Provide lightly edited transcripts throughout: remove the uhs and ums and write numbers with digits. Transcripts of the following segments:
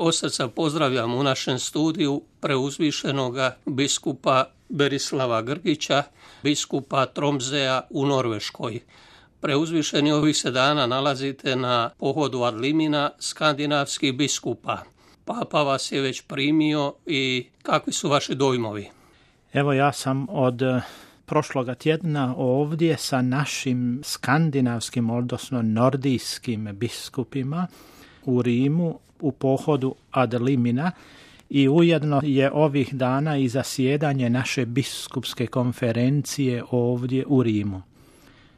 Od srca pozdravljam u našem studiju preuzvišenoga biskupa Berislava Grgića, biskupa Tromsøya u Norveškoj. Preuzvišeni ovih se dana nalazite na pohodu ad limina skandinavskih biskupa. Papa vas je već primio i kakvi su vaši dojmovi? Evo, ja sam od prošloga tjedna ovdje sa našim skandinavskim, odnosno nordijskim biskupima u Rimu u pohodu ad limina i ujedno je ovih dana i zasjedanje naše biskupske konferencije ovdje u Rimu.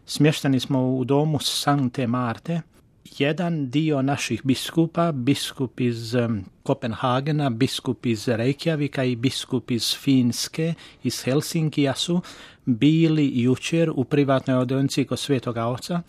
Smješteni smo u domu Sankte Marte. Jedan dio naših biskupa, biskup iz Kopenhagena, biskup iz Reykjavika i biskup iz Finske, iz Helsinkija su bili jučer u privatnoj audienciji kod Svetoga Oca,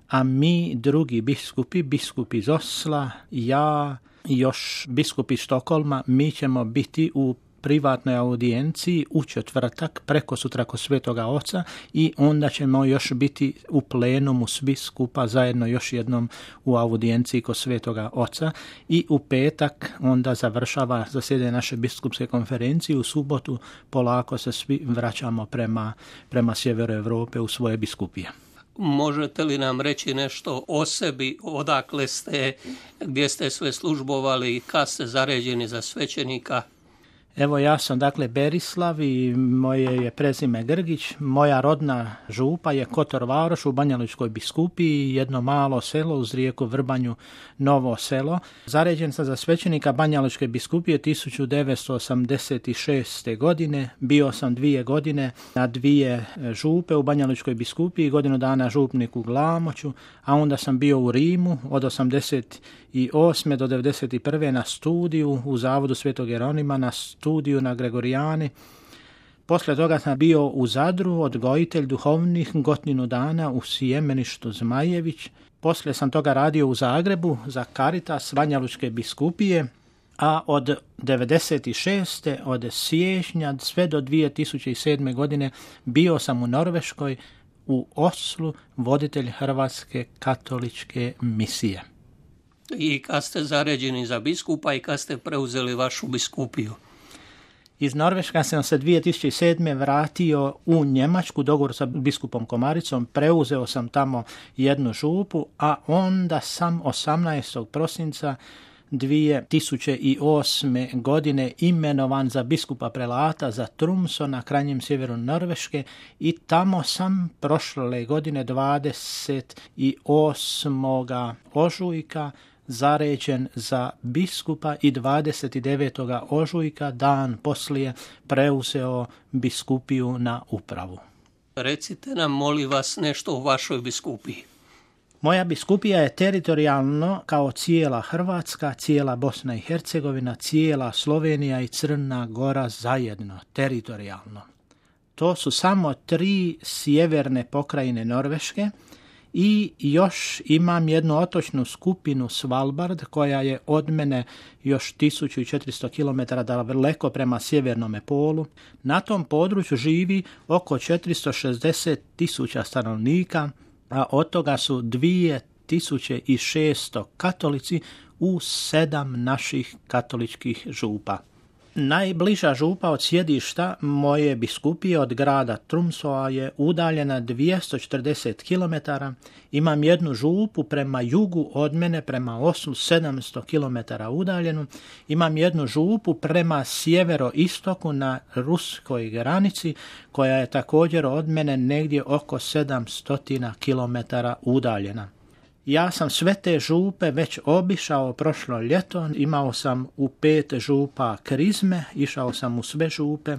a mi drugi biskupi, biskup iz Osla, ja i još biskup iz Stokholma, mi ćemo biti u privatnoj audijenciji u četvrtak preko sutra kod Svetoga Oca i onda ćemo još biti u plenumu svi skupa zajedno još jednom u audijenciji kod Svetoga Oca i u petak onda završava zasjedanje naše biskupske konferencije. U subotu polako se svi vraćamo prema sjeveru Europe u svoje biskupije. Možete li nam reći nešto o sebi, odakle ste, gdje ste sve službovali, kad ste zaređeni za svećenika? Evo, ja sam Berislav i moje je prezime Grgić. Moja rodna župa je Kotor Varoš u Banjalučkoj biskupiji, jedno malo selo uz rijeku Vrbanju, Novo selo. Zaređen sam za svećenika Banjalučke biskupije 1986. godine. Bio sam 2 godine na 2 župe u Banjalučkoj biskupiji, godinu dana župnik u Glamoću, a onda sam bio u Rimu od 88. do 91. na studiju u Zavodu Svetog Jeronima, na studiju na Gregorijani. Poslije toga sam bio u Zadru, odgojitelj duhovnih, godinu dana u Sjemeništu Zmajević. Poslije sam toga radio u Zagrebu za Caritas Banjalučke biskupije, a od 96. od siječnja sve do 2007. godine bio sam u Norveškoj, u Oslu, voditelj Hrvatske katoličke misije. I kad ste zaređeni za biskupa i kad ste preuzeli vašu biskupiju? Iz Norveška sam se 2007. vratio u Njemačku, dogovor sa biskupom Komaricom, preuzeo sam tamo jednu župu, a onda sam 18. prosinca 2008. godine imenovan za biskupa prelata za Tromsø na krajnjem sjeveru Norveške i tamo sam prošle godine 28. ožujka zaređen za biskupa i 29. ožujka, dan poslije, preuzeo biskupiju na upravu. Recite nam, molim vas, nešto o vašoj biskupiji. Moja biskupija je teritorijalno kao cijela Hrvatska, cijela Bosna i Hercegovina, cijela Slovenija i Crna Gora zajedno, teritorijalno. To su samo 3 sjeverne pokrajine Norveške i još imam jednu otočnu skupinu Svalbard koja je od mene još 1400 km daleko prema sjevernome polu. Na tom području živi oko 460.000 stanovnika, a od toga su 2600 katolici u 7 naših katoličkih župa. Najbliža župa od sjedišta moje biskupije od grada Tromsøa je udaljena 240 km. Imam jednu župu prema jugu od mene, prema Oslu, 700 km udaljenu. Imam jednu župu prema sjeveroistoku na ruskoj granici, koja je također od mene negdje oko 700 km udaljena. Ja sam sve te župe već obišao prošlo ljeto, imao sam u 5 župa krizme, išao sam u sve župe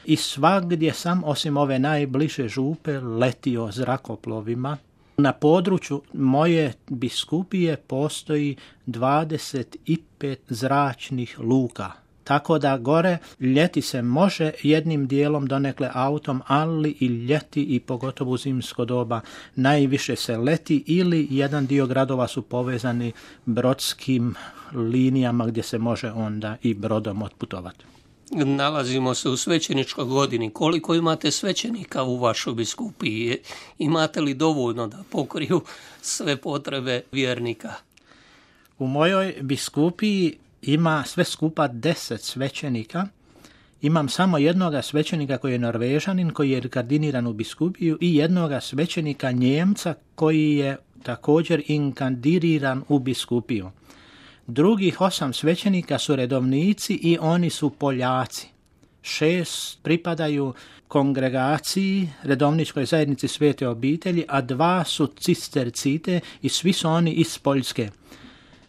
i svagdje sam, osim ove najbliže župe, letio zrakoplovima. Na području moje biskupije postoji 25 zračnih luka. Tako da gore ljeti se može jednim dijelom donekle autom, ali i ljeti i pogotovo u zimsko doba najviše se leti ili jedan dio gradova su povezani brodskim linijama gdje se može onda i brodom otputovati. Nalazimo se u svećeničkoj godini. Koliko imate svećenika u vašoj biskupiji? Imate li dovoljno da pokriju sve potrebe vjernika? U mojoj biskupiji ima sve skupa 10 svećenika. Imam samo jednoga svećenika koji je Norvežanin, koji je inkardiniran u biskupiju, i jednoga svećenika Njemca koji je također inkardiniran u biskupiju. Drugih 8 svećenika su redovnici i oni su Poljaci. 6 pripadaju kongregaciji, redovničkoj zajednici Svete obitelji, a 2 su cistercite i svi su oni iz Poljske.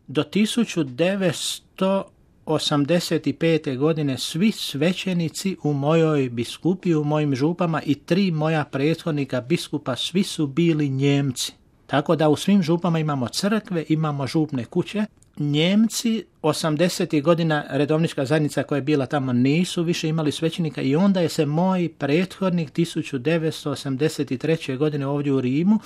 Do 1985. godine svi svećenici u mojoj biskupiji, u mojim župama i 3 moja prethodnika biskupa, svi su bili Njemci. Tako da u svim župama imamo crkve, imamo župne kuće. Njemci 80. godina redovnička zajednica koja je bila tamo nisu više imali svećenika i onda je se moj prethodnik 1983. godine ovdje u Rimu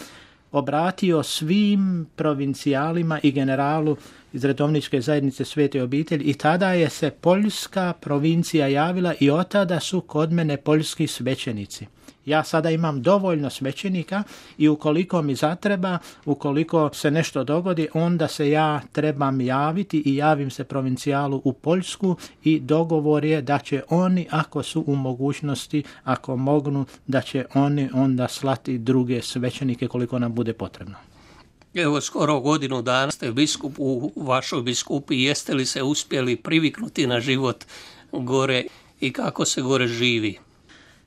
obratio svim provincijalima i generalu iz redovničke zajednice Svete obitelji i tada je se poljska provincija javila i od tada su kod mene poljski svećenici. Ja sada imam dovoljno svećenika i ukoliko mi zatreba, ukoliko se nešto dogodi, onda se ja trebam javiti i javim se provincijalu u Poljsku i dogovor je da će oni, ako su u mogućnosti, ako mognu, da će oni onda slati druge svećenike koliko nam bude potrebno. Evo, skoro godinu dana ste biskup u vašoj biskupiji. Jeste li se uspjeli priviknuti na život gore i kako se gore živi?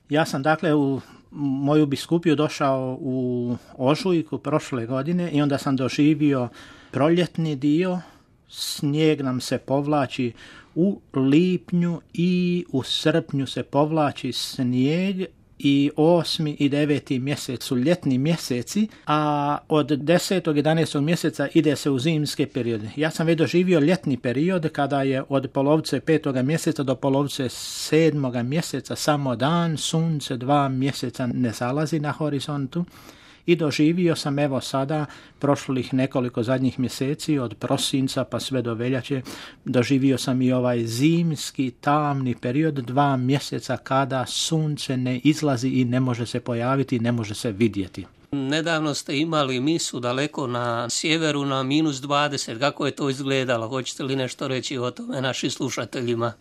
Ja sam dakle u moju biskupiju došao u ožujku prošle godine i onda sam doživio proljetni dio. Snijeg nam se povlači u lipnju i u srpnju se povlači snijeg i 8. i 9. mjesec su ljetni mjeseci, a od 10. 11. mjeseca ide se u zimske periode. Ja sam već doživio ljetni period kada je od polovice 5. mjeseca do polovice 7. mjeseca samo dan, sunce 2 mjeseca ne zalazi na horizontu. I doživio sam evo sada prošlih nekoliko zadnjih mjeseci od prosinca pa sve do veljače, doživio sam i ovaj zimski tamni period 2 mjeseca kada sunce ne izlazi i ne može se pojaviti, ne može se vidjeti. Nedavno ste imali misu daleko na sjeveru na -20. Kako je to izgledalo? Hoćete li nešto reći o tome našim slušateljima?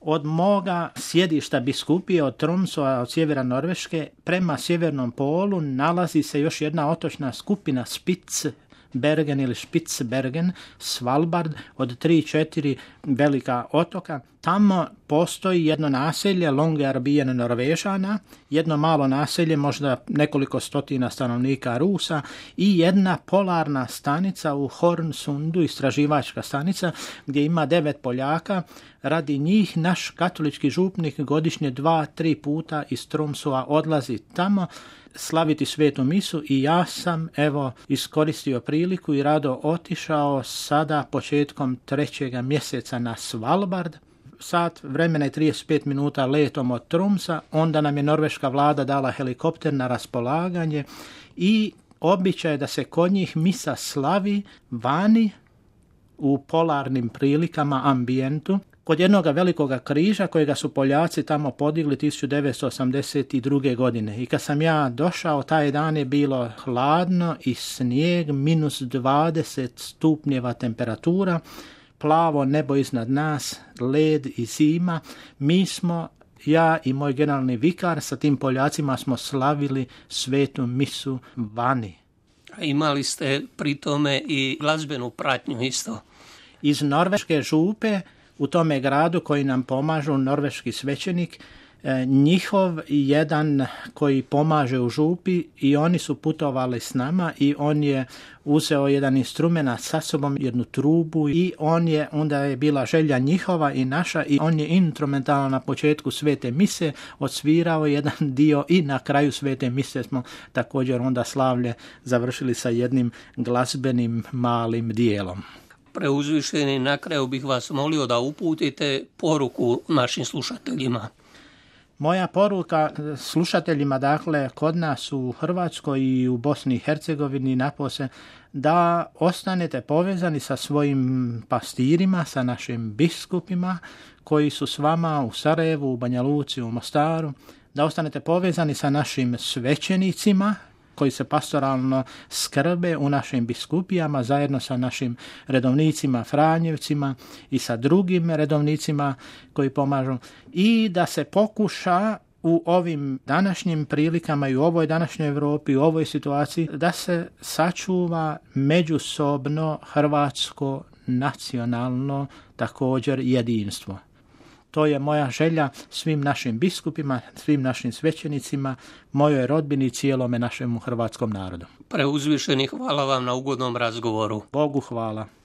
Od moga sjedišta biskupije od Tromsøa, od sjevera Norveške, prema sjevernom polu nalazi se još jedna otočna skupina Spitsbergen ili Spitsbergen, Svalbard, od 3-4 velika otoka. Tamo postoji jedno naselje, Longyearbyen Norvežana, jedno malo naselje, možda nekoliko stotina stanovnika Rusa i jedna polarna stanica u Hornsundu, istraživačka stanica, gdje ima 9 Poljaka. Radi njih naš katolički župnik godišnje 2-3 puta iz Tromsøa odlazi tamo slaviti svetu misu i ja sam evo iskoristio priliku i rado otišao sada početkom 3. mjeseca na Svalbard. Sat vremena i 35 minuta letom od Tromsa, onda nam je norveška vlada dala helikopter na raspolaganje i običaj da se kod njih misa slavi vani u polarnim prilikama, ambijentu, kod jednog velikoga križa kojega su Poljaci tamo podigli 1982. godine. I kad sam ja došao, taj dan je bilo hladno i snijeg, -20 stupnjeva temperatura, plavo nebo iznad nas, led i zima. Mi smo, ja i moj generalni vikar, sa tim Poljacima smo slavili svetu misu vani. Imali ste pri tome i glazbenu pratnju isto? Iz norveške župe u tome gradu koji nam pomažu, norveški svećenik, njihov jedan koji pomaže u župi i oni su putovali s nama i on je uzeo jedan instrument sa sobom, jednu trubu i onda je bila želja njihova i naša i on je instrumentalno na početku svete mise odsvirao jedan dio i na kraju svete mise smo također onda slavlje završili sa jednim glazbenim malim dijelom. Preuzvišeni, na kraju bih vas molio da uputite poruku našim slušateljima. Moja poruka slušateljima, dakle, kod nas u Hrvatskoj i u Bosni i Hercegovini napose, da ostanete povezani sa svojim pastirima, sa našim biskupima koji su s vama u Sarajevu, u Banja Luci, u Mostaru, da ostanete povezani sa našim svećenicima, koji se pastoralno skrbe u našim biskupijama zajedno sa našim redovnicima Franjevcima i sa drugim redovnicima koji pomažu i da se pokuša u ovim današnjim prilikama i u ovoj današnjoj Europi, u ovoj situaciji, da se sačuva međusobno hrvatsko nacionalno također jedinstvo. To je moja želja svim našim biskupima, svim našim svećenicima, mojoj rodbini i cijelome našemu hrvatskom narodu. Preuzvišeni, hvala vam na ugodnom razgovoru. Bogu hvala.